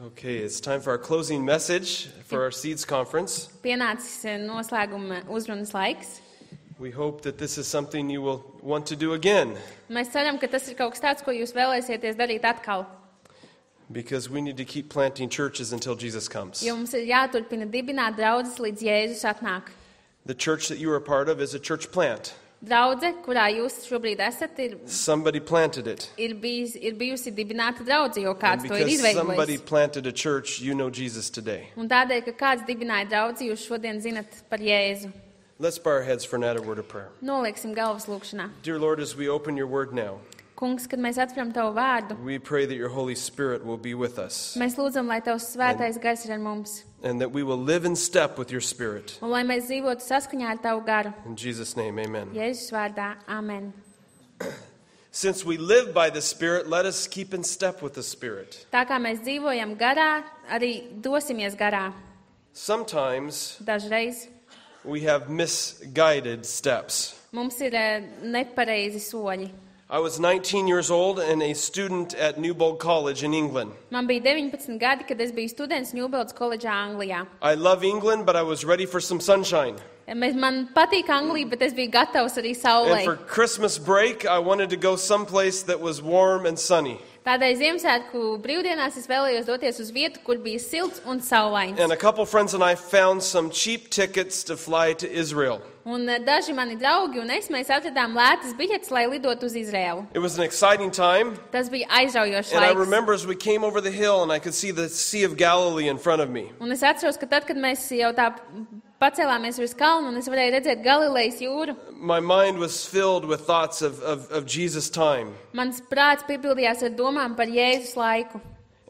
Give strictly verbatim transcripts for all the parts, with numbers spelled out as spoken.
Okay, it's time for our closing message for our Seeds Conference. Pienācis noslēguma uzrunas laiks. We hope that this is something you will want to do again. Mēs ceram, ka tas ir kaut kas tāds, ko jūs vēlēsieties darīt atkal. Because we need to keep planting churches until Jesus comes. Jo mums ir jāturpina dibināt draudzes, līdz Jēzus atnāk. The church that you are a part of is a church plant. Draudze, kurā jūs šobrīd esat, ir, Somebody planted it. ir, bijis, ir bijusi dibināta draudze, jo And kāds to ir because somebody izveidojis. planted a church, you know Jesus today. Un tādēļ, ka kāds dibināja draudzi, jūs šodien zinat par Jēzu. Let's bow our heads for another word of prayer. Nolieksim galvas lūkšanā. Dear Lord, as we open your word now, Kungs, kad mēs atveram Tavu vārdu, we pray that your Holy Spirit will be with us mēs lūdzam, lai Tavs svētais gars ir ar mums. and that we will live in step with your Spirit. Un lai mēs dzīvotu saskaņā ar Tavu garu. In Jesus' name, amen. Jēzus vārdā. Amen. Since we live by the Spirit, let us keep in step with the Spirit. Tā kā mēs dzīvojam garā, arī dosimies garā. Sometimes Dažreiz we have misguided steps. mums ir eh, nepareizi soļi. I was nineteen years old and a student at Newbold College in England. Man bija deviņpadsmit gadi, kad es biju students Newbold koledžā Anglijā. I love England, but I was ready for some sunshine. Mēs- Man patīk Anglija, bet es biju gatavs arī And for saulei. Christmas break, I wanted to go someplace that was warm and sunny. Tādēļ Ziemassvētku brīvdienās es vēlējos doties uz vietu, kur bija silts un saulains. And a couple friends and I found some cheap tickets to fly to Israel. Un eh, daži mani draugi un es, mēs atradām lētas biļetes, lai lidotu uz Izraēlu. It was an exciting time. Tas bija aizraujošs And I laiks. remember as we came over the hill and I could see the Sea of Galilee in front of me. Un es atceros, ka tad, kad mēs jau tā pacēlāmies uz kalnu un es varēju redzēt Galilejas jūru, My mind was filled with thoughts of, of, of Jesus' time. mans prāts piepildījās ar domām par Jēzus laiku.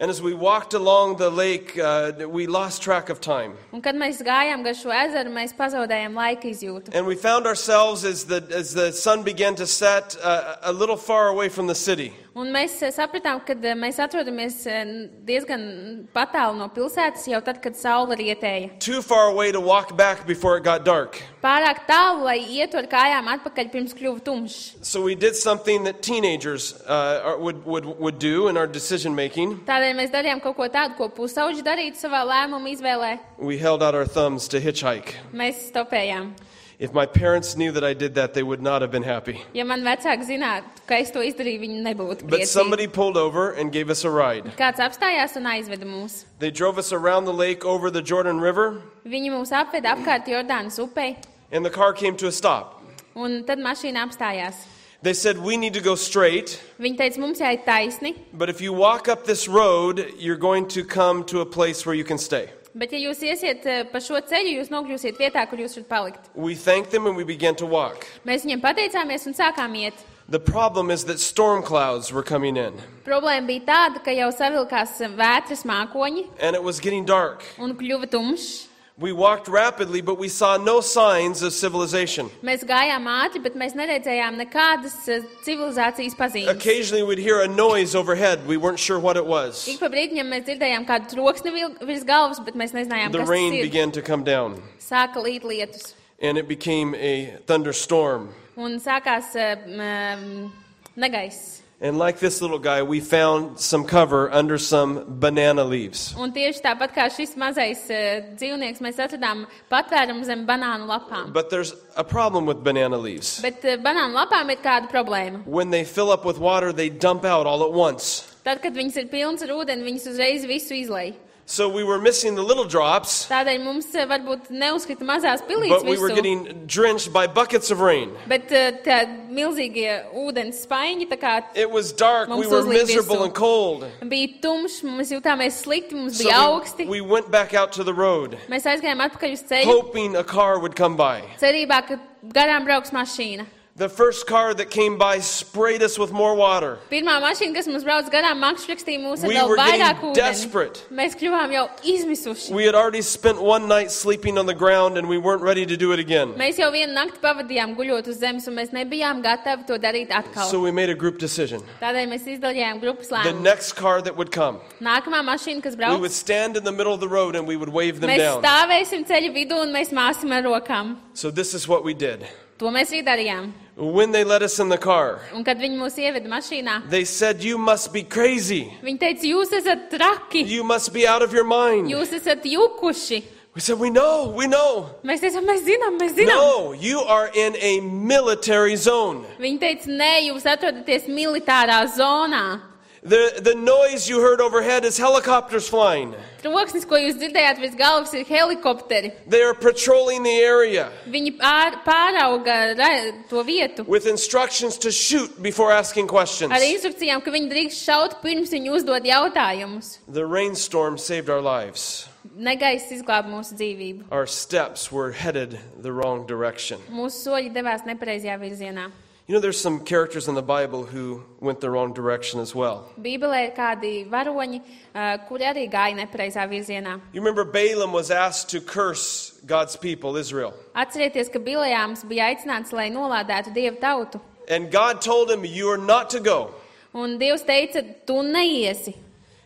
And as we walked along the lake, uh, we lost track of time. Un kad mēs gājām gar šo ezeru, mēs pazaudējām laika izjūtu. And we found ourselves, as the, as the sun began to set, uh, a little far away from the city. Un mēs eh, sapratām, ka eh, mēs atrodamies eh, diezgan patālu no pilsētas jau tad, kad saule rietēja. Too far away to walk back before it got dark. Pārāk tālu, lai ietu ar kājām atpakaļ pirms kļuva tumšs. So we did something that teenagers uh, are- would, would, would do in our decision making. Tādēļ mēs darījām kaut ko tādu, ko pusauģi darītu savā lēmuma izvēlē. We held out our thumbs to hitchhike. Mēs stopējām. If my parents knew that I did that, they would not have been happy. Ja man vecāki zinātu, ka es to izdarīju, viņi nebūtu But priecīgi. somebody pulled over and gave us a ride. Kāds apstājās un aizveda mūs. They drove us around the lake over the Jordan River, Viņi mūs apveda apkārt Jordānas upei, and the car came to a stop. un tad mašīna apstājās. They said, we need to go straight, Viņi teica, mums jāiet taisni, but if you walk up this road, you're going to come to a place where you can stay. bet ja jūs iesiet eh, pa šo ceļu, jūs nokļūsiet vietā, kur jūs varat palikt. We thanked them and we began to walk. Mēs viņiem pateicāmies un sākām iet. The problem is that storm clouds were coming in, Problēma bija tāda, ka jau savilkās vētras mākoņi and it was getting dark. un kļuva tumšs. We walked rapidly, but we saw no signs of civilization. Mēs gājām ātri, bet mēs neredzējām nekādas eh, civilizācijas pazīmes. Occasionally we'd hear a noise overhead. We weren't sure what it was. Ik pa brīdim mēs dzirdējām kādu troksni vil- virs galvas, bet mēs nezinājām, The kas rain tas ir. began to come down, Sāka līt lietus. and it became a thunderstorm. Un sākās um, negaiss. And like this little guy, we found some cover under some banana leaves. Un tieši tāpat kā šis mazais uh, dzīvnieks, mēs atradām patvērumu zem banānu lapām. But there's a problem with banana leaves. Bet uh, banānu lapām ir kāda problēma. When they fill up with water, they dump out all at once. Tad, kad viņas ir pilnas ar ūdeni, viņas uzreiz visu izlej. So we were missing the little drops, Tādēļ mums uh, varbūt neuzkrita mazās but pilītes we were visu. getting drenched by buckets of rain. Bet uh, tā milzīgie ūdens spaiņi, tā kā It was dark, we Mums were uzlīja miserable visu. and cold. bija tumšs, mēs jutāmies slikti, mums So bija augsti. we, we went back out to the road, Mēs aizgājām atpakaļ uz ceļu, hoping a car would come by. cerībā, ka garām brauks mašīna. The first car that came by sprayed us with more water. Pirmā mašīna, kas mums brauc garām, makšķrakstīja mūs ar We vēl were vairāk getting ūdeni. desperate. Mēs kļuvām jau izmisuši. We had already spent one night sleeping on the ground and we weren't ready to do it again. Mēs jau vienu nakti pavadījām guļot uz zemes, un mēs nebijām gatavi to darīt atkal. So we made a group decision. Tādēļ mēs izdarījām grupas The lēmumu. next car that would come, Nākamā mašīna, kas we brauc, would stand in the middle of the road and we would wave them mēs down. stāvēsim ceļa vidū un mēs māsim ar rokām. So this is what we did. To mēs arī darījām. When they let us in the car, Un, kad viņi mūs ieveda mašīnā, they said, "You must be crazy. viņi teica, jūs esat traki, You must be out of your mind." jūs esat jukuši. We said, "We know, we know." Mēs teicām, mēs zinām, mēs zinām. No, you are in a military zone. Viņi teica, nē, jūs atrodaties militārā zonā. The, the noise you heard overhead is helicopters flying. Troksnis, ko jūs dzirdējāt virs galvas, ir helikopteri. They are patrolling the area Viņi pār, pārauga ra, to vietu with instructions to shoot before asking questions. ar instrukcijām, ka viņi drīkst šaut pirms viņi uzdod jautājumus. The rainstorm saved our lives. Negaiss izglāba mūsu dzīvību. Our steps were headed the wrong direction. Mūsu soļi devās nepareizajā virzienā. You know, there's some characters in the Bible who went the wrong direction as well. Bībelē ir kādi varoņi, uh, kuri arī gāja nepareizā virzienā. You remember Balaam was asked to curse God's people, Israel. Atcerieties, ka Bilejāms bija aicināts, lai nolādētu Dievu tautu. And God told him, "You are not to go." Un Dievs teica, tu neiesi.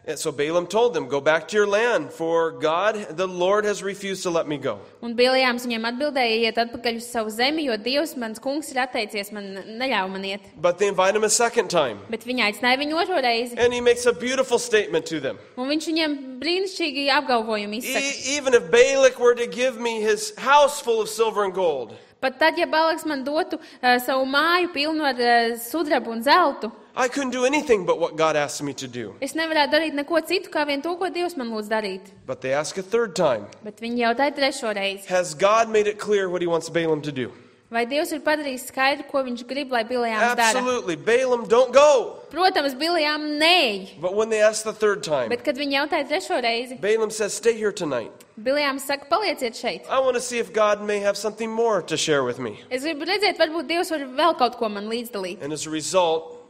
And so Balaam told them, "Go back to your land, for God, the Lord, has refused to let me go." Un Bilejāms viņiem atbildēja, iet atpakaļ uz savu zemi, jo Dievs, mans kungs, ir atteicies, man neļauj man iet. But they invite him a second time. Bet viņi aicināja viņu otro reizi. And he makes a beautiful statement to them. Un viņš viņiem brīnišķīgi apgalvojumu izsaka. E- even if Balak were to give me his house full of silver and gold, Pat tad, ja Balaks man dotu uh, savu māju pilnu ar uh, sudrabu un zeltu, I couldn't do anything but what God asked me to do. es nevarētu darīt neko citu, kā vien to, ko Dievs man lūdz darīt. But they ask a third time, Bet viņi jautāja trešo reizi. "Has God made it clear what he wants Balaam to do?" Vai Dievs ir padarījis skaidru, ko viņš grib, lai Bilejāms dara? Absolutely. Balaam, don't go. Protams, Bilejām nē. But when they ask the third time, Bet, kad viņi jautāja trešo reizi, Balaam says, "Stay here tonight. Bilejāms saka, palieciet šeit. I want to see if God may have something more to share with me." Es gribu redzēt, varbūt Dievs var vēl kaut ko man līdzdalīt. And as a result,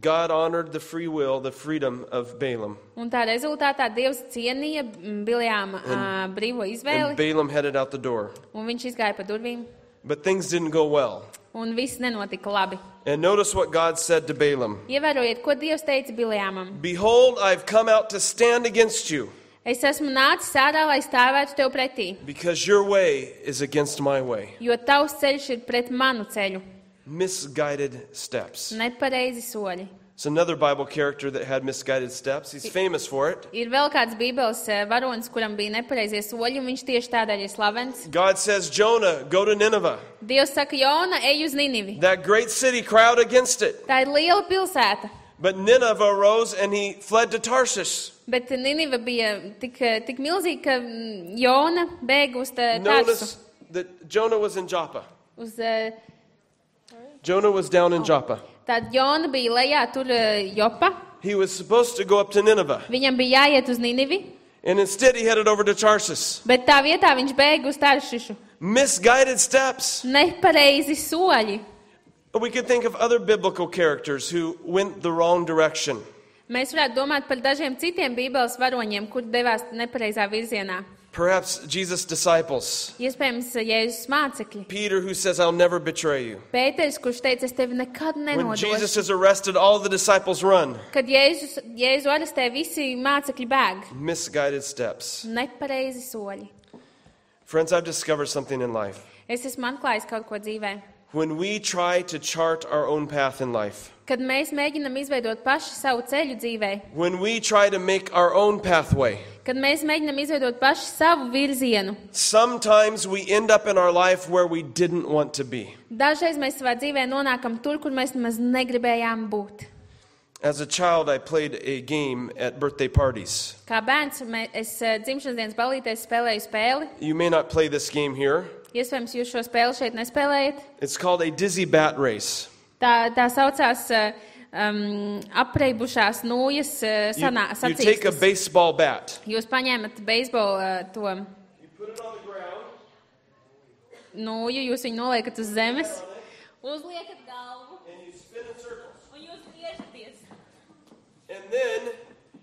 God honored the free will, the freedom of Balaam. Un tā rezultātā Dievs cienīja Bilejāma uh, brīvo And izvēli, Balaam headed out the door. un viņš izgāja pa durvīm, But things didn't go well. un viss nenotika labi. And notice what God said to Balaam. Ievērojiet, ko Dievs teica Bilejāmam. "Behold, I've come out to stand against you, Es esmu nācis ārā, lai stāvētu tev pretī, because your way is against my way." jo tavs ceļš ir pret manu ceļu. Misguided steps. Nepareizi soļi. It's another Bible character that had misguided steps. He's famous for it. Ir vēl kāds Bībeles eh, varonis, kuram bija nepareizie soļi, un viņš tieši tādēļ ir slavens. God says, "Jonah, go to Nineveh. Dievs saka, Jona, ej uz Ninivi. That great city, crowd against it." Tā ir liela pilsēta, But Nineveh arose and he fled to Tarshish. bet Niniva bija tik, eh, tik milzīga, ka mm, Jona bēga uz tā- Tarsu. Notice that Jonah was in Joppa. Uz, eh, Jonah was down in Joppa. Tad Jona bija lejā tur eh, Jopa. He was supposed to go up to Nineveh. Viņam bija jāiet uz Ninivi, And instead he headed over to Tarshish. bet tā vietā viņš bēga uz Taršišu. Misguided steps. Nepareizi soļi. We could think of other biblical characters who went the wrong direction. Mēs varētu domāt par dažiem citiem Bībeles varoņiem, kur devās nepareizā virzienā. Perhaps Jesus' disciples. Iespējams, Jēzus mācekļi. Peter, who says, "I'll never betray you." Pēters, kurš teica, es tevi nekad When Jesus nenodošu. is arrested, all the disciples run. Kad Jēzus, Jēzu arestē, visi mācekļi bēg. Misguided steps. Nepareizi soļi. Friends, I've discovered something in life. Es esmu atklājis kaut ko dzīvē. When we try to chart our own path in life, Kad mēs mēģinam izveidot paši savu ceļu dzīvē, when we try to make our own pathway, kad mēs mēģinam izveidot paši savu virzienu, sometimes we end up in our life where we didn't want to be. dažreiz mēs savā dzīvē nonākam tur, kur mēs nemaz negribējām būt. As a child, I played a game at birthday parties. Kā bērns, mē- es eh, dzimšanas dienas balītēs spēlēju spēli. You may not play this game here. Iespējams, jūs šo spēli šeit nespēlējat. It's called a dizzy bat race. Tā, tā saucās uh, um, apreibušās nūjas uh, You, sanā, you take a sacīkstes. baseball bat. Jūs paņēmat beisbolu uh, to You put it on the ground. nūju, jūs viņu noliekat uz zemes, uzliekat galvu And you spin in circles. un jūs griežaties. And then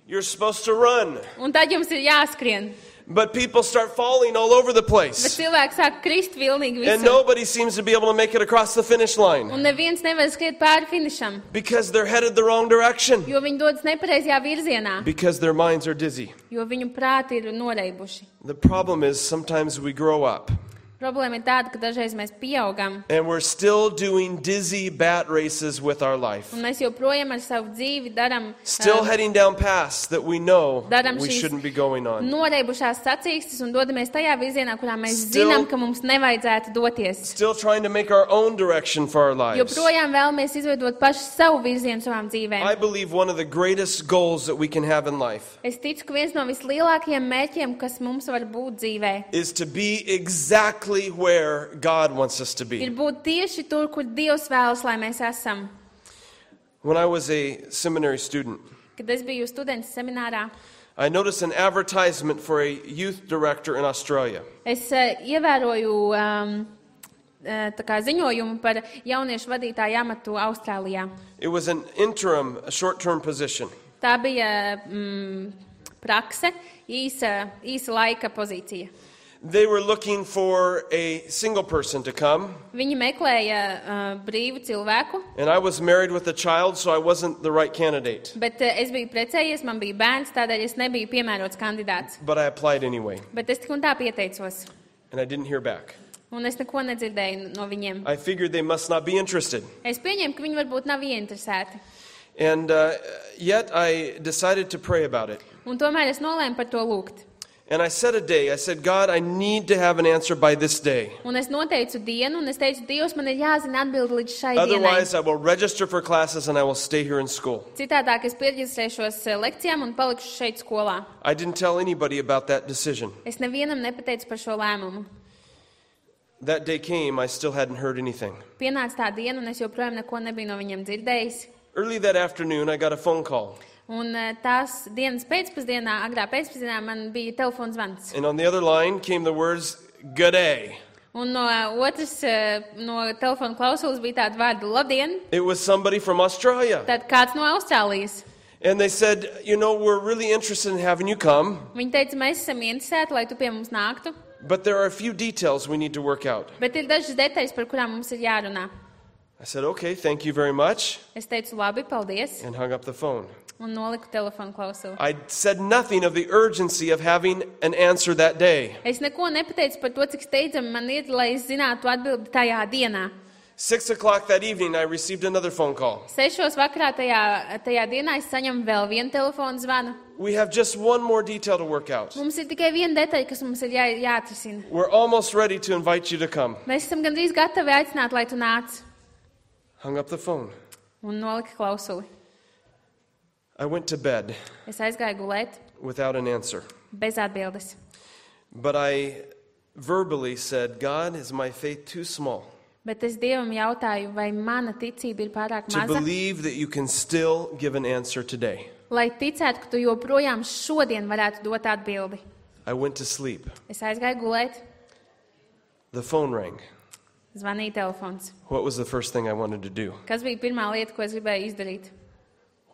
you're supposed to run. Un tad jums ir jāskrien. But people start falling all over the Bet place. cilvēki sāk krist vilnīgi And visur. nobody seems to be able to make it across the finish line. Un neviens nevar skriet pāri finišam, Because they're headed the wrong direction. jo viņi dodas nepareizajā virzienā, Because their minds are dizzy. jo viņu prāti ir noreibuši. The problem is sometimes we grow up Problēma ir tāda, ka dažreiz mēs pieaugam, and we're still doing dizzy bat races with our life. un mēs joprojām ar savu dzīvi daram Still uh, heading down paths that we know Daram we šīs shouldn't be going on. noreibušās sacīkstes un dodamies tajā virzienā, kurā mēs Still- zinām, ka mums nevajadzētu doties. Still trying to make our own direction for our lives. Joprojām vēlamies izveidot pašu savu virzienu savām I dzīvēm. believe one of the greatest goals that we can have in life Es ticu, ka viens no vislielākajiem mērķiem, kas mums var būt dzīvē, is to be exactly where God wants us to ir be. būt tieši tur, kur Dievs vēlas, lai mēs esam. When I was a seminary student, Kad es biju students seminārā, I noticed an advertisement for a youth director in Australia. es uh, ievēroju um, uh, tā kā ziņojumu par jauniešu vadītāju amatu Austrālijā. It was an interim, a short-term position. Tā bija mm, prakse, īsa, īsa laika pozīcija. They were looking for a single person to come, Viņi meklēja uh, brīvu cilvēku, and I was married with a child, so I wasn't the right candidate. bet uh, es biju precējies, man bija bērns, tādēļ es nebiju piemērots kandidāts. But I applied anyway, Bet es tik un tā pieteicos, and I didn't hear back. un es neko nedzirdēju no viņiem. I figured they must not be interested. Es pieņēmu, ka viņi varbūt nav ieinteresēti. And uh, yet I decided to pray about it. Un tomēr es nolēmu par to lūgt. And I set a day. I said, God, I need to have an answer by this day. Un es noteicu dienu, un es teicu, Dievs, man ir jāzina atbildi līdz šai dienai. Otherwise, I will register for classes and I will stay here in school. Citādāk es pieģistrēšos uh, lekcijām un palikšu šeit skolā. I didn't tell anybody about that decision. Es nevienam nepateicu par šo lēmumu. That day came, I still hadn't heard anything. Pienāca tā diena, un es joprojām neko nebiju no viņiem dzirdējis. Early that afternoon, I got a phone call. Un uh, tās dienas pēcpusdienā, agrā pēcpusdienā, man bija telefons zvans. And on the other line came the words, "G'day." Un no uh, otras, uh, no telefona klausulas bija tāda vārda labdien, It was somebody from Australia. tad kāds no Austrālijas. And they said, you know, we're really interested in having you come, Viņi teica, mēs esam interesēti, lai tu pie mums nāktu, but there are a few details we need to work out. bet ir dažas detaļas, par kurām mums ir jārunā. I said, okay, thank you very much, Es teicu, labi, paldies, and hung up the phone. un noliku telefonu klausulu. I said nothing of the urgency of having an answer that day. Es neko nepateicu par to, cik steidzami man ir, lai es zinātu atbildi tajā dienā. Six o'clock that evening, I received another phone call. Sešos vakarā tajā, tajā dienā es saņemu vēl vienu telefonu zvanu. We have just one more detail to work out. Mums ir tikai viena detaļa, kas mums ir jā, jāatrisina. We're almost ready to invite you to come. Mēs esam gandrīz gatavi aicināt, lai tu nāc. Hung up the phone. Un nolika klausuli. I went to bed Es aizgāju gulēt without an answer. bez atbildes. But I verbally said, God, is my faith too small Bet es Dievam jautāju, vai mana ticība ir pārāk to maza, believe that you can still give an answer today? lai ticētu, ka tu joprojām šodien varētu dot atbildi. I went to sleep. Es aizgāju gulēt, The phone rang. zvanīja telefons. What was the first thing I wanted to do? Kas bija pirmā lieta, ko es gribēju izdarīt?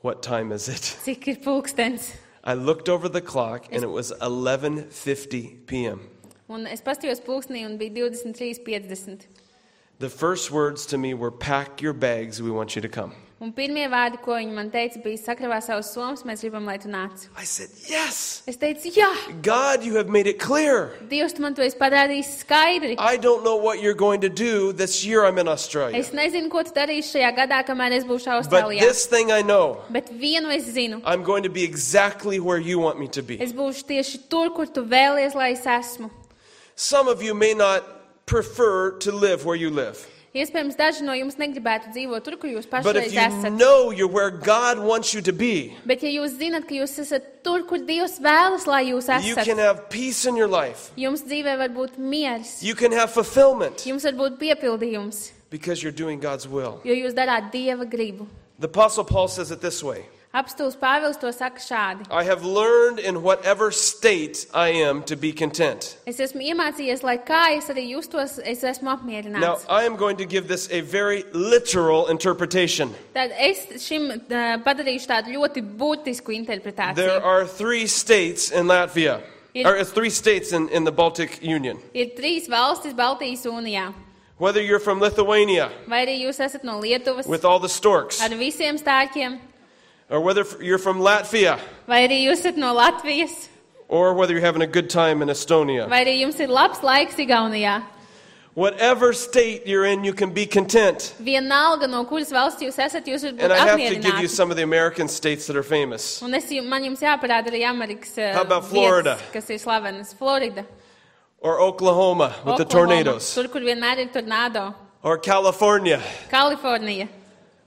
What time is it? Cik ir pulkstens? I looked over the clock and it was eleven fifty p.m. Un es pastījos pulkstenī un bija divdesmit trīs piecdesmit. The first words to me were, pack your bags, we want you to come. Un pirmie vārdi, ko viņi man teica, bija sakravā savus somas, mēs gribam, lai tu nāc. I said, yes, Es teicu, jā, God, you have made it clear. Dievs, tu man to esi padarījis skaidri. I don't know what you're going to do this year I'm in Australia. Es nezinu, ko tu darīsi šajā gadā, kamēr es būšu But Austrālijā. this thing I know, Bet vienu es zinu. I'm going to be exactly where you want me to be. Es būšu tieši tur, kur tu vēlies, lai es esmu. Some of you may not prefer to live where you live. Iespējams, daži no jums negribētu dzīvot tur, kur jūs But pašreiz if you esat. know you're where God wants you to be, Bet ja jūs zinat, ka jūs esat tur, kur Dievs vēlas, lai jūs you esat, can have peace in your life. jums dzīvē var būt miers, You can have fulfillment jums var būt piepildījums, because you're doing God's will. jo jūs darāt Dieva gribu. The Apostle Paul says it this way. Apstults Pāvils to saka šādi. I have learned in whatever state I am to be content. Es esmu iemācījies, lai kā es arī justos, es esmu Now, apmierināts. I am going to give this a very literal interpretation. Tad es šim uh, padarīšu tādu ļoti būtisku There interpretāciju. are three states in Latvia, Ir- or uh, three states in, in the Baltic Union. Ir trīs valstis Baltijas jūnijā. Whether you're from Lithuania Vai arī jūs esat no Lietuvas with all the storks, ar visiem stāķiem, or whether f- you're from Latvia, vai arī jūs esat no Latvijas, or whether you're having a good time in Estonia. vai arī jums ir labs laiks Igaunijā. Whatever state you're in, you can be content. Vienalga, no kuras valsts jūs esat, jūs varat And būt I have to give you apmierināti. some of the American states that are famous. Un es, jum- man jums jāparāda arī Amerikas uh, How about Florida? vietas, kas ir slavenas. Florida, Or Oklahoma with the Oklahoma, tornadoes. tur, kur vienmēr ir tornado. Or California. Kalifornija,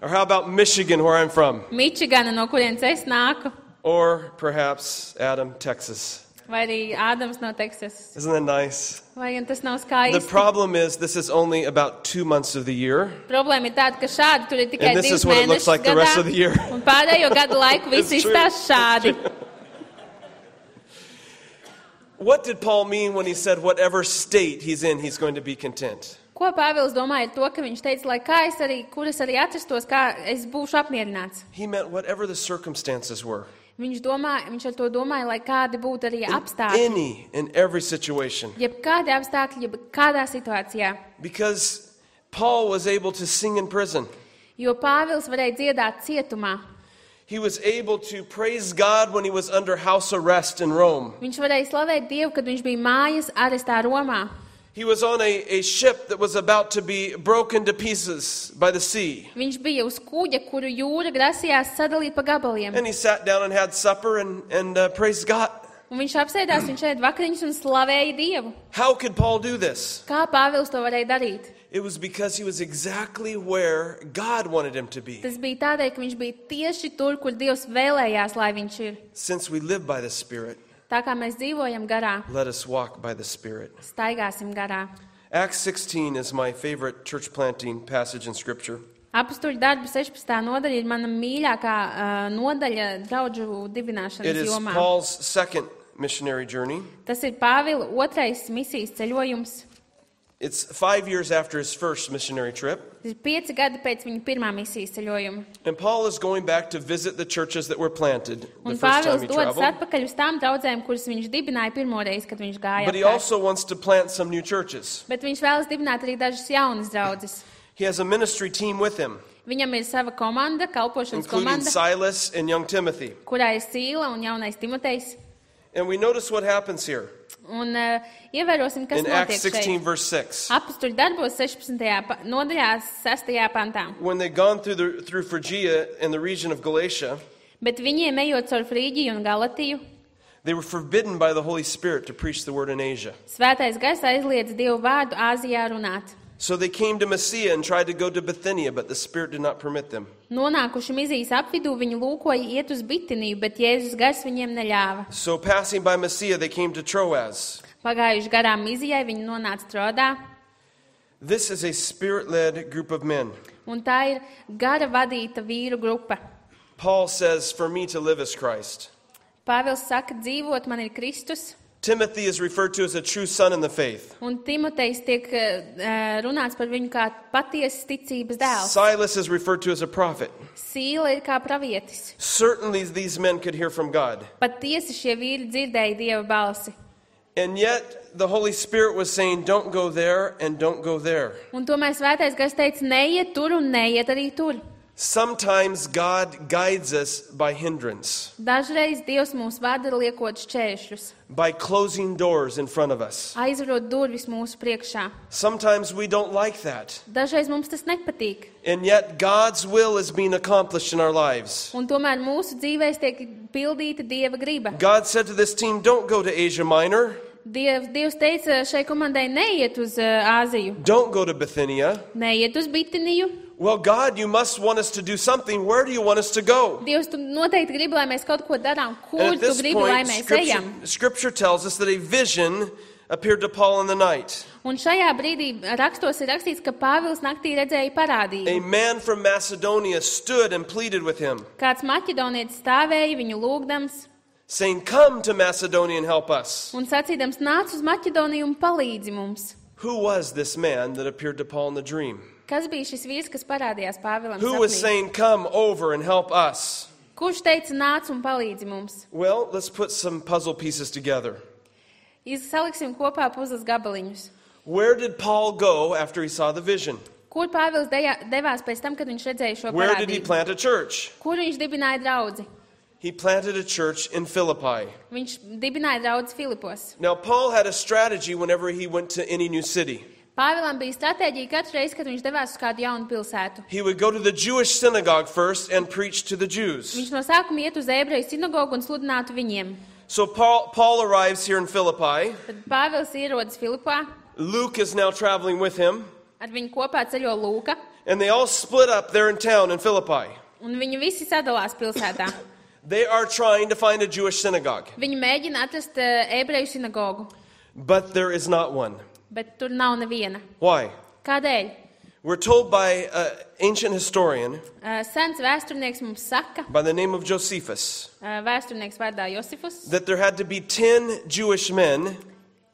Or how about Michigan, where I'm from? Mičigana, no kurienes es nāku. Or perhaps Adam, Texas. Vai arī Ādams no Teksasas. Isn't that nice? Vai gan tas nav The skaisti? problem is this is only about two months of the year. Problēma ir tāda, ka šādi tur ir tikai And this divas is what it looks mēnešas like the rest gadā, of the year. un pārējo gadu laiku viss It's true. izstās šādi. What did Paul mean when he said whatever state he's in, he's going to be content? Ko Pāvils domāja ar to, ka viņš teica, lai kā es arī, kur es arī atrastos, kā es būšu apmierināts. He meant whatever the circumstances were. Viņš, domā, viņš ar to domāja, lai kādi būtu arī In apstākļi. any and every situation. Jeb kādi apstākļi, jeb kādā situācijā. Because Paul was able to sing in prison. Jo Pāvils varēja dziedāt cietumā. He was able to praise God when he was under house arrest in Rome. Viņš varēja slavēt Dievu, kad viņš bija mājas arestā Romā. He was on a, a ship that was about to be broken to pieces by the sea. Viņš bija uz kuģa, kuru jūra grasījās sadalīt pa gabaliem. And he sat down and had supper and, and uh, praised God. Un viņš apsēdās, viņš ēd vakariņas un slavēja Dievu. How could Paul do this? Kā Pāvils to varēja darīt? It was because he was exactly where God wanted him to be. Tas bija tādēļ, ka viņš bija tieši tur, kur Dievs vēlējās, lai viņš ir. Since we live by the Spirit, Tā kā mēs dzīvojam garā, let us walk by the Spirit. staigāsim garā. Acts sixteen is my favorite church planting passage in Scripture. Apstuļu darbu sešpadsmitā nodaļa ir mana mīļākā uh, nodaļa draudžu It dibināšanas is jomā. Paul's second missionary journey. Tas ir Pāvila otrais misijas ceļojums. It's five years after his first missionary trip. Tas ir pieci gadi pēc viņa pirmā misijas ceļojuma. And Paul is going back to visit the churches that were planted the Un first time Pāvils he dodas traveled. atpakaļ uz tām draudzēm, kuras viņš dibināja pirmoreiz, kad viņš gāja But he apkārt. also wants to plant some new churches. Bet viņš vēlas dibināt arī dažas jaunas draudzes. He has a ministry team with him, Viņam ir sava komanda, kalpošanas including komanda, Silas and young Timothy. kurā ir Sīla un jaunais Timotejs. And we notice what happens here Un uh, ievērosim, kas in Acts notiek sixteen, šeit. verse six. Apstuļu darbos sešpadsmitajā pa- nodaļā, sestajā pantā. When they'd gone through, the, through Phrygia and the region of Galatia, Bet viņiem ejot caur Frīģiju un Galatiju, they were forbidden by the Holy Spirit to preach the word in Asia. svētais gars aizliedz Dievu vārdu Āzijā runāt. So they came to Mysia and tried to go to Bithynia, but the Spirit did not permit them. Nonākuši Mizijas apvidū, viņi lūkoja iet uz Bitiniju, bet Jēzus gars viņiem neļāva. So passing by Mysia, they came to Troas. Pagājuši garām Mizijai, viņi nonāca Trodā, This is a Spirit-led group of men. un tā ir gara vadīta vīru grupa. Paul says, for me to live is Christ. Pāvils saka, dzīvot man ir Kristus, Timothy is referred to as a true son in the faith. un Timotejs tiek uh, runāts par viņu kā patiesas ticības dēls. Silas is referred to as a prophet. Sīla ir kā pravietis. Certainly these men could hear from God. Pat tiesi šie vīri dzirdēja Dieva balsi. And yet the Holy Spirit was saying, don't go there and don't go there. Un tomēr svētais gars teica, neiet tur un neiet arī tur. Sometimes God guides us by hindrance, Dažreiz Dievs mūs vada liekot šķēršļus, by closing doors in front of us. aizvarot durvis mūsu priekšā. Sometimes we don't like that. Dažreiz mums tas nepatīk. And yet God's will is being accomplished in our lives. Un tomēr mūsu dzīvēs tiek pildīta Dieva griba. God said to this team, don't go to Asia Minor. Diev, Dievs teica šai komandai, neiet uz uh, Āziju, Don't go to Bithynia. neiet uz Bitiniju. Well, God, you must want us to do something. Where do you want us to go? Dievs, tu noteikti gribi, lai mēs kaut ko darām. And Kur at tu this gribi, lai point, mēs scripture, ejam? scripture tells us that a vision appeared to Paul in the night. Un šajā brīdī rakstos ir rakstīts, ka Pāvils naktī redzēja A parādību. man from Macedonia stood and pleaded with him, Kāds maķedonietis stāvēja viņu lūgdams saying, come to Macedonia and help us. un sacīdams, nāc uz Maķedoniju un palīdzi mums. Who was this man that appeared to Paul in the dream? Kas bija šis vīrs, kas parādījās Pāvilam Who was sapnī? saying, come over and help us? Kurš teica, nāc un palīdzi mums? Well, let's put some puzzle pieces together. Saliksim kopā puzles gabaliņus. Where did Paul go after he saw the vision? Kur Pāvils deja- devās pēc tam, kad viņš redzēja šo Where did he parādību? plant a church? Kur viņš dibināja draudzi? He planted a church in Philippi. Viņš dibināja draudzi Filipos. Now, Paul had a strategy whenever he went to any new city. Pāvilam bija stratēģija katru reizi, kad viņš devās uz kādu jaunu pilsētu. He would go to the Jewish synagogue first and preach to the Jews. Viņš no sākuma iet uz ebreju sinagogu un sludinātu viņiem. So Paul, Paul arrives here in Philippi. Tad Pāvils ierodas Filipā, Luke is now traveling with him. ar viņu kopā ceļo Lūka, And they all split up there in town in Philippi. un viņi visi sadalās pilsētā. They are trying to find a Jewish synagogue, Viņi mēģina atrast uh, ebreju sinagogu, but there is not one. bet tur nav neviena. Why? Kādēļ? We're told by an ancient historian Uh, sens vēsturnieks mums saka, by the name of Josephus uh, vēsturnieks vārdā Josifus, that there had to be ten Jewish men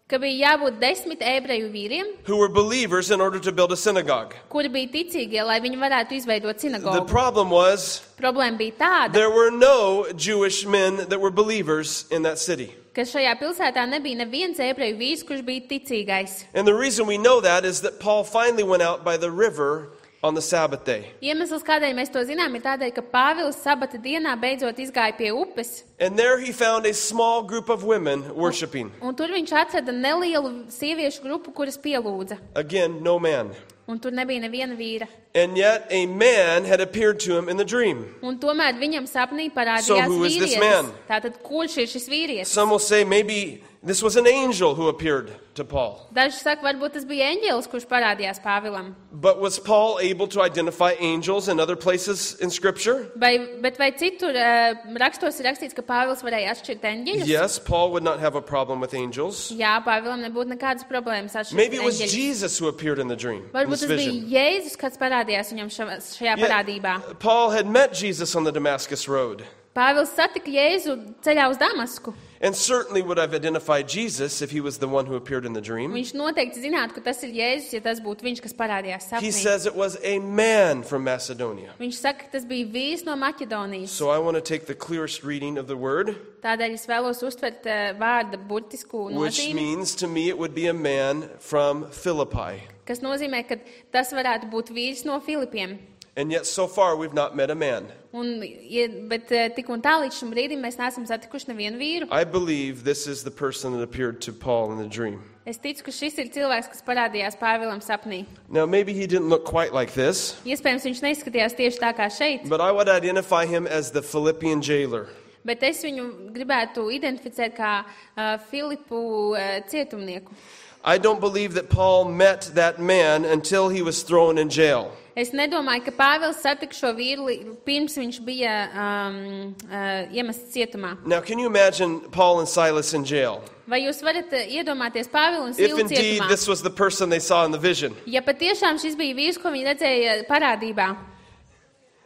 ka bija jābūt desmit ebreju vīriem, who were believers in order to build a synagogue. kuri bija ticīgie, lai viņi varētu izveidot The sinagogu. problem was Problēma bija tāda, there were no Jewish men that were believers in that city. ka šajā pilsētā nebija neviens ebreju vīrs, kurš bija ticīgais. And the reason we know that is that Paul finally went out by the river on the Sabbath day. Iemesls, kādēļ mēs to zinām, ir tādēļ, ka Pāvils sabata dienā beidzot izgāja pie upes, And there he found a small group of women worshiping. un tur viņš atrada nelielu sieviešu grupu, kuras pielūdza. Again, no man. Un tur nebija neviena vīra. And yet a man had appeared to him in the dream. Un tomēr viņam sapnī So parādījās who is this vīrietis. man? Tātad, kurš ir šis vīrietis? Some will say maybe this was an angel who appeared to Paul. Daži saka, varbūt tas bija eņģelis, kurš parādījās Pāvilam. But was Paul able to identify angels in other places in Scripture? Vai, bet vai citur uh, rakstos ir rakstīts, ka Pāvils varēja atšķirt eņģeļus? Yes, Paul would not have a problem with angels. Jā, Pāvilam nebūtu nekādas problēmas Maybe atšķirt it was eņģeļus. Jesus who appeared in the dream, in Varbūt this tas bija vision. Jēzus, kas parādījās viņam ša- šajā Yet, parādībā. Paul had met Jesus on the Damascus road Pāvils satika Jēzu ceļā uz Damasku. and certainly would have identified Jesus if he was the one who appeared in the dream. Viņš noteikti zinātu, ka tas ir Jēzus, ja tas būtu viņš, kas parādījās He sapnī. says it was a man from Macedonia. Viņš saka, ka tas bija vīrs no Maķedonijas. So I want to take the clearest reading of the word, Tādēļ es vēlos uztvert uh, vārda burtisku which nozīmi, means to me it would be a man from Philippi. kas nozīmē, ka tas varētu būt vīrs no Filipiem. And yet so far we've not met a man. Un, ja, bet uh, tik un tā līdz šim brīdim mēs neesam satikuši nevienu vīru. I believe this is the person that appeared to Paul in the dream. Es ticu, ka šis ir cilvēks, kas parādījās Pāvilam sapnī. Now maybe he didn't look quite like this, Iespējams, viņš neizskatījās tieši tā kā šeit, but I would identify him as the Philippian jailer. bet es viņu gribētu identificēt kā uh, Filipu uh, cietumnieku. I don't believe that Paul met that man until he was thrown in jail. Es nedomāju, ka Pāvils satika šo vīru li- pirms viņš bija um, uh, iemests cietumā. Now can you imagine Paul and Silas in jail? Vai jūs varat uh, iedomāties Pāvilu un If Silu indeed cietumā? this was the person they saw in the vision. Ja patiešām šis bija vīrs, ko viņi redzēja parādībā,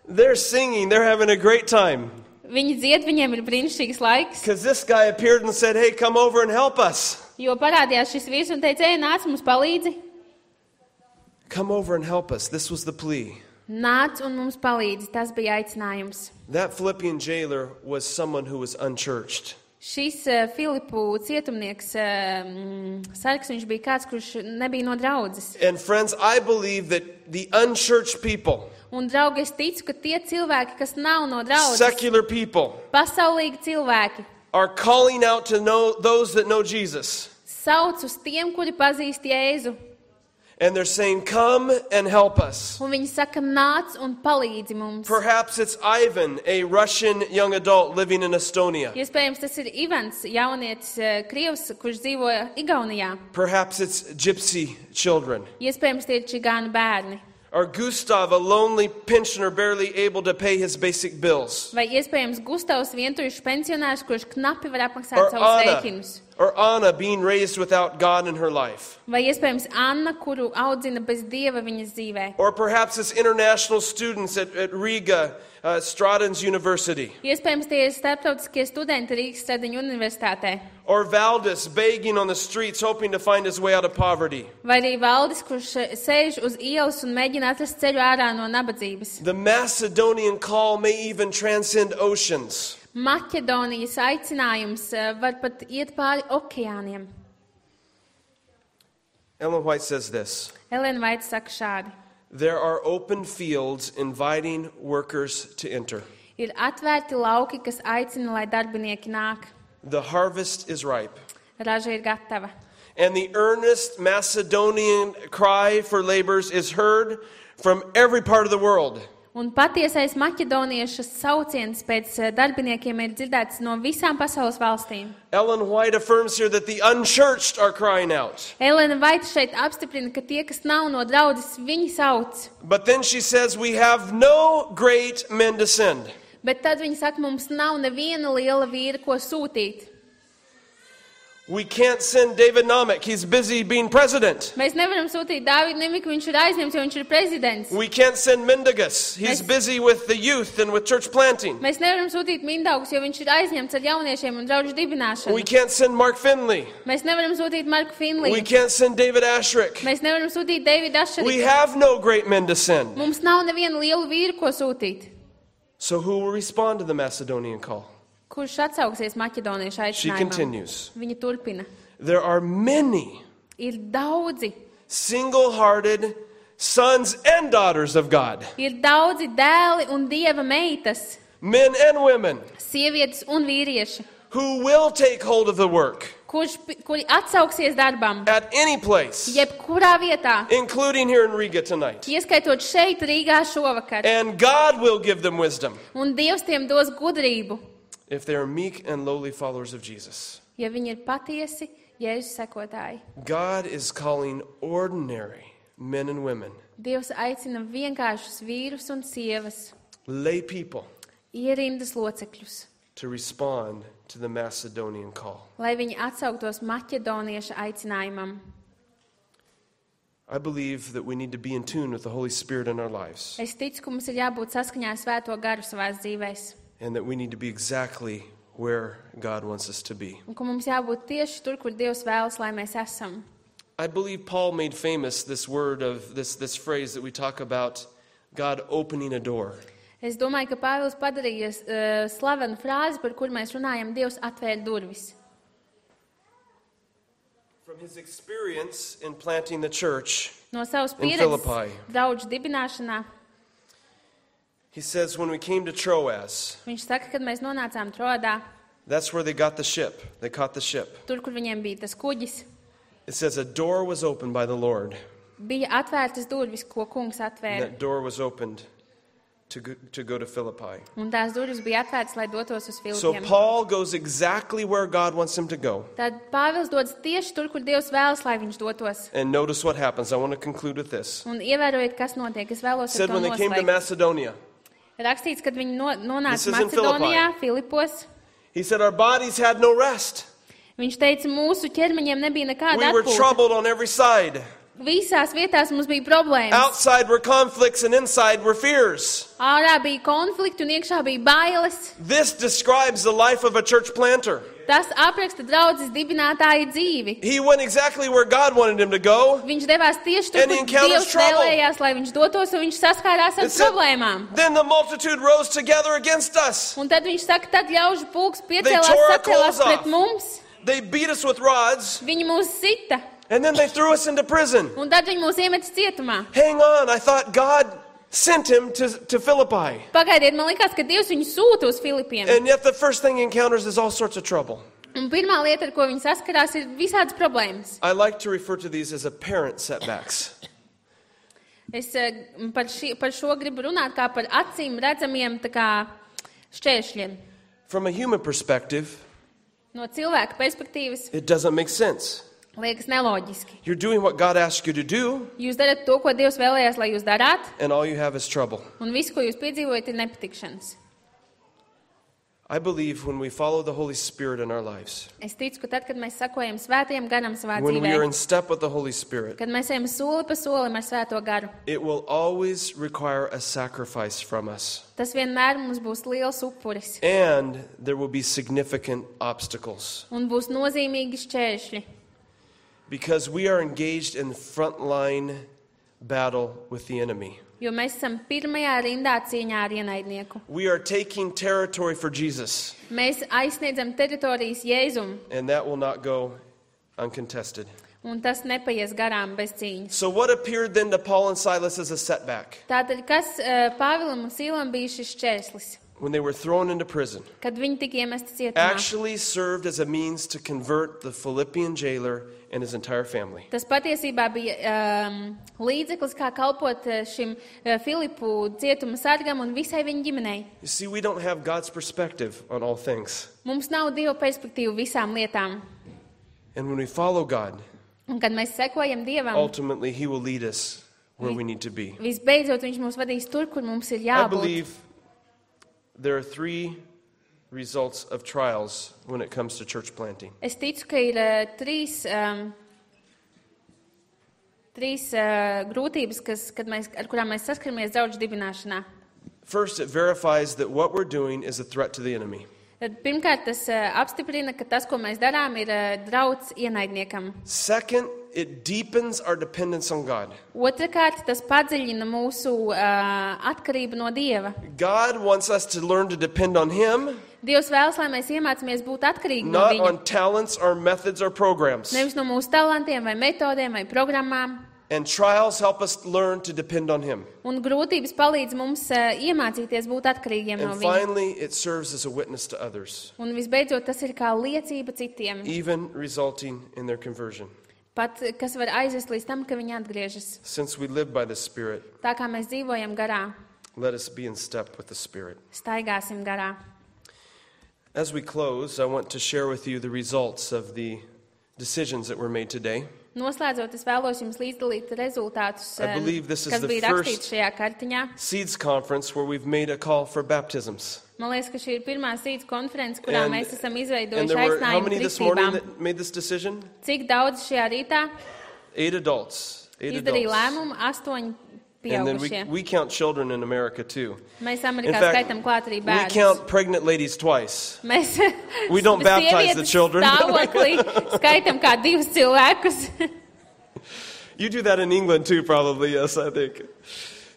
They're singing, they're having a great time. viņi dzied, viņiem ir brīnišķīgs laiks, Because this guy appeared and said, hey, come over and help us. jo parādījās šis vīrs un teica, ej, nāc mums palīdzi. Come over and help us. This was the plea. Nāc un mums palīdzi, tas bija aicinājums. That Philippian jailer was someone who was unchurched. Šis uh, Filipu cietumnieks, uh, mm, sargs, viņš bija kāds, kurš nebija no draudzes. And friends, I believe that the unchurched people, Un, draugi, es ticu, ka tie cilvēki, kas nav no draudzes, secular people, pasaulīgi cilvēki, are calling out to know those that know Jesus. sauc uz tiem, kuri pazīst Jēzu. And they're saying, come and help us. Un viņi saka, nāc un palīdzi mums. Perhaps it's Ivan, a Russian young adult living in Estonia. Iespējams, tas ir Ivans, jaunietis, uh, krievs, kurš dzīvo Igaunijā. Perhaps it's gypsy children. Iespējams, tie ir čigānu bērni. Or Gustav, a lonely pensioner barely able to pay his basic bills. Vai iespējams Gustavs, vientuļš pensionārs, kurš knapi var apmaksāt Or savus Anna, rēķinus. or Anna being raised without God in her life. Vai iespējams Anna, kuru audzina bez Dieva viņas dzīvē. Or perhaps it's international students at, at Riga, uh, Stratton's University. Iespējams, tie ir starptautiskie studenti Rīgas Stradiņu universitātē. Or Valdis begging on the streets hoping to find his way out of poverty. Vai arī Valdis, kurš uh, sēž uz ielas un mēģina atrast ceļu ārā no nabadzības. The Macedonian call may even transcend oceans. Maķedonijas aicinājums uh, var pat iet pāri okeāniem. Ellen White says this: Elena Vaits saka šādi. there are open fields inviting workers to enter. Ir atvērti lauki, kas aicina, lai darbinieki nāk. The harvest is ripe. Raža ir gatava. and the earnest Macedonian cry for laborers is heard from every part of the world. Un patiesais maķedoniešu sauciens pēc darbiniekiem ir dzirdēts no visām pasaules valstīm. Ellen White affirms here that the unchurched are crying out. Elena Vaita šeit apstiprina, ka tie, kas nav no draudzes, viņi sauc. But then she says we have no great men to send. Bet tad viņi saka, mums nav neviena liela vīra, ko sūtīt. We can't send David Namek. He's busy being president. Mēs nevaram sūtīt Dāvidu Nemiku, viņš ir aizņemts, jo viņš ir prezidents. We can't send Mendigas. He's Mēs- busy with the youth and with church planting. Mēs nevaram sūtīt Mindaugus, jo viņš ir aizņemts ar jauniešiem un draudžu dibināšanu. We can't send Mark Finley. Mēs nevaram sūtīt Marku We Finliju. can't send David Ashrick. Mēs nevaram sūtīt Davidu We Ašeriku. have no great men to send. Mums nav neviena liela vīra, ko sūtīt. So who will respond to the Macedonian call? Kurš atsauksies maķedoniešu She aicinājumam? continues. Viņa turpina. There are many Ir daudzi, single-hearted sons and daughters of God, ir daudzi dēli un dieva meitas, men and women, sievietes un vīrieši, who will take hold of the work kurš, kuri atsauksies darbam, at any place, jebkurā vietā, including here in Riga tonight. ieskaitot šeit Rīgā šovakar. And God will give them wisdom Un Dievs tiem dos gudrību, if they are meek and lowly followers of Jesus. ja viņi ir patiesi Jēzus sekotāji. God is calling ordinary men and women, Dievs aicina vienkāršus vīrus un sievas, lay people, ierindas locekļus, to respond to the Macedonian call. lai viņi atsauktos maķedonieša aicinājumam. I believe that we need to be in tune with the Holy Spirit in our lives, Es ticu, ka mums ir jābūt saskaņā ar Svēto garu savās dzīvēs. and that we need to be exactly where God wants us to be. Un ka mums jābūt tieši tur, kur Dievs vēlas, lai mēs esam. I believe Paul made famous this word of this, this phrase that we talk about, God opening a door. Es domāju, ka Pāvils padarīja uh, slavenu frāzi, par kur mēs runājam, Dievs atvēra durvis. From his experience in planting the church, No savas In pieredzes Philippi. draudžu dibināšanā, he says when we came to Troas, viņš saka, kad mēs nonācām Troadā, that's where they got the ship. They caught the ship. tur, kur viņiem bija tas kuģis, It says a door was opened by the Lord, bija atvērtas durvis, ko kungs and atvēra. that door was opened to go, to go to Philippi. Un tās durvis bija atvērtas, lai dotos uz So Filipiem. Paul goes exactly where God wants him to go. Tad Pāvils dodas tieši tur, kur Dievs vēlas, lai viņš dotos. And notice what happens. I want to conclude with this. Un ievērojiet, kas notiek. Es vēlos It said ar to when they came to noslēgt. Macedonia, Rakstīts, kad viņi no, This nonāca is in Macedonijā, Filipos. he said our bodies had no rest. Viņš teica, mūsu ķermeņiem nebija nekāda We were atpūta. troubled on every side. Visās vietās mums bija problēmas. Outside were conflicts and inside were fears. Ārā bija konflikti un iekšā bija bailes. This describes the life of a church planter. Tas apraksta draudzes dibinātāja dzīvi. He went exactly where God wanted him to go. Viņš devās tieši tur, And he kur encounters Dievs trouble. vēlējās, lai viņš dotos, un viņš saskārās ar It said, problēmām. then the multitude rose together against us. Un tad viņš saka, tad ļaužu pulks They piecēlās, tore our sacēlās clothes pret off. mums. They beat us with rods, Viņi mūs sita, and then they threw us into prison. un tad viņi mūs iemet cietumā. Hang on, I thought God sent him to, to Philippi. Pagaidiet, man likās, ka Dievs viņu sūta uz Filipiem. And yet the first thing he encounters is all sorts of trouble. Un pirmā lieta, ar ko viņi saskarās, ir visādas problēmas. I like to refer to these as apparent setbacks. Es eh, par, ši, par šo gribu runāt kā par acīm redzamiem tā kā šķēršļiem. From a human perspective, No cilvēka perspektīvas it doesn't make sense. liekas neloģiski. You're doing what God asked you to do, Jūs darat to, ko Dievs vēlējās, lai jūs darāt, and all you have is trouble. un viss, ko jūs piedzīvojat, ir nepatikšanas. I believe when we follow the Holy Spirit in our lives, Es ticu, ka tad, kad mēs sakojam svētajam garam savā when we are dzīvē, in step with the Holy Spirit, kad mēs ejam soli pa solim ar svēto garu, it will always require a sacrifice from us. tas vienmēr mums būs liels upuris And there will be significant obstacles. un būs nozīmīgi šķēršļi, Because we are engaged in frontline battle with the enemy. jo mēs esam pirmajā rindā cīņā ar ienaidnieku. We are taking territory for Jesus, Mēs aizsniedzam teritorijas Jēzum, and that will not go uncontested. un tas nepaies garām bez cīņas. So what appeared then to Paul and Silas as a setback? Tātad, kas uh, Pāvilam un Sīlam bija šis šķērslis? when they were thrown into prison, kad viņi tika iemesti cietumā, actually served as a means to convert the Philippian jailer and his entire family. tas patiesībā bija um, līdzeklis, kā kalpot uh, šim uh, Filipu cietuma sargam un visai viņa ģimenei. You see, we don't have God's perspective on all things. Mums nav Dieva perspektīvu visām lietām. And when we follow God, Un kad mēs sekojam Dievam, ultimately He will lead us where we need to be. visbeidzot viņš mūs vadīs tur, kur mums ir I jābūt. believe there are three results of trials when it comes to church planting. Es ticu, ka ir uh, trīs, um, trīs uh, grūtības, kas, kad mēs, ar kurām mēs saskaramies draudžu dibināšanā. First, it verifies that what we're doing is a threat to the enemy. Tad, pirmkārt, tas uh, apstiprina, ka tas, ko mēs darām, ir uh, drauds ienaidniekam. Second, it deepens our dependence on God. Otrakārt, tas padziļina mūsu uh, atkarību no Dieva. God wants us to learn to depend on Him, Dievs vēlas, lai mēs iemācāmies būt atkarīgi no not Viņa. on talents or methods or programs. Nevis no mūsu talantiem vai metodēm vai programmām. And trials help us learn to depend on Him. Un grūtības palīdz mums uh, iemācīties būt atkarīgiem no And Viņa. finally, it serves as a witness to others, Un visbeidzot, tas ir kā liecība citiem. even resulting in their conversion. Pat, kas var aizvest līdz tam, ka viņi atgriežas. Since we live by the Spirit, Tā kā mēs dzīvojam garā, let us be in step with the Spirit. staigāsim garā. As we close, I want to share with you the results of the decisions that were made today. Noslēdzot, es vēlos jums līdzdalīt rezultātus, I um, believe this is kas the bija first- rakstīts šajā kartiņā. Seeds Conference, where we've made a call for baptisms. Man liekas, ka šī ir pirmā sīdz konference, kurā And- mēs esam And izveidojuši there were how aicinājumu many this morning kristībām. that made this decision? Cik daudz šajā rītā Eight adults. Eight izdarīja adults. lēmumu? Astoņi And then we, pieaugušie. we count children in America too. Mēs In Amerikā fact, skaitam klāt arī we bērnus. count pregnant ladies twice. Mēs We don't baptize the sievietes children. stāvoklī skaitam kā divus cilvēkus. You do that in England too, probably, yes, I think.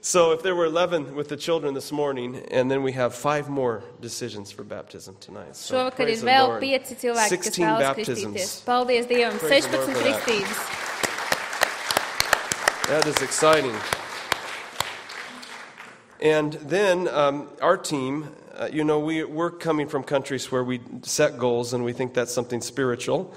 So if there were eleven with the children this morning, and then we have five more decisions for baptism tonight. So Šovakar praise ir the vēl Lord. pieci cilvēki, kas sixteen vēlas kristīties. baptisms. Paldies Dievam, Praise the Lord sešpadsmit for that. kristības. That is exciting. And then um, our team, uh, you know, we, we're coming from countries where we set goals and we think that's something spiritual.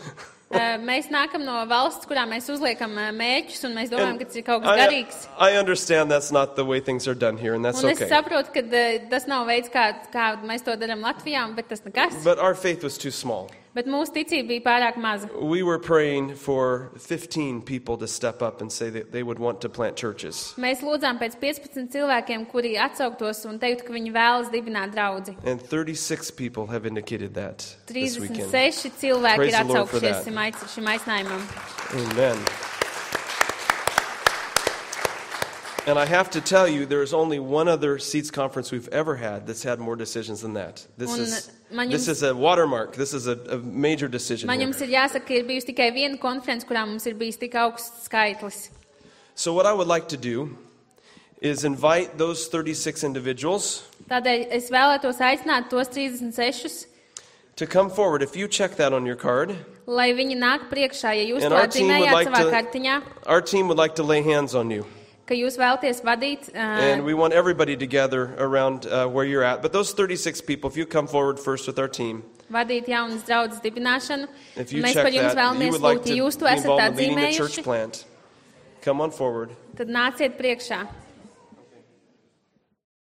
Uh, Mēs nākam no valsts, kurā mēs uzliekam uh, mērķus, un mēs domājam, And ka tas ir kaut kas I, garīgs. I understand that's not the way things are done here, and that's Un es okay. saprotu, ka uh, tas nav veids, kā, kā mēs to darām Latvijā, bet tas nekas. But our faith was too small. Bet mūsu ticība bija pārāk maza. We were praying for fifteen people to step up and say that they would want to plant churches. Mēs lūdzām pēc piecpadsmit cilvēkiem, kuri atsauktos un teiktu, ka viņi vēlas dibināt draudzi. And thirty-six people have indicated that this trīsdesmit weekend. seši cilvēki Praise ir the Lord for atsaukšies that. šim aic- šim aicinājumam. Amen. And I have to tell you, there is only one other Seeds conference we've ever had that's had more decisions than that. This Un is man this jums- is a watermark. This is a, a major decision. Man here. jums ir jāsaka, ka ir bijusi tikai viena konference, kurā mums ir bijis tik augsts skaitlis. So what I would like to do is invite those thirty-six individuals Tādēļ es vēlētos aicināt tos trīsdesmit sešus, to come forward. If you check that on your card, lai viņi nāk priekšā, ja jūs and to our team would atzīmējāt like savā to, kartiņā, our team would like to lay hands on you. ka jūs vēlaties vadīt, And uh, we want everybody to gather around uh, where you're at. But those thirty-six people, if you come forward first with our team, vadīt jaunas draudzes dibināšanu. if you Mēs check par jums that, you vēlamies would like lūgt, to ja be jūs to esat involved in leading a church atzīmējuši, plant, come on forward. tad nāciet priekšā.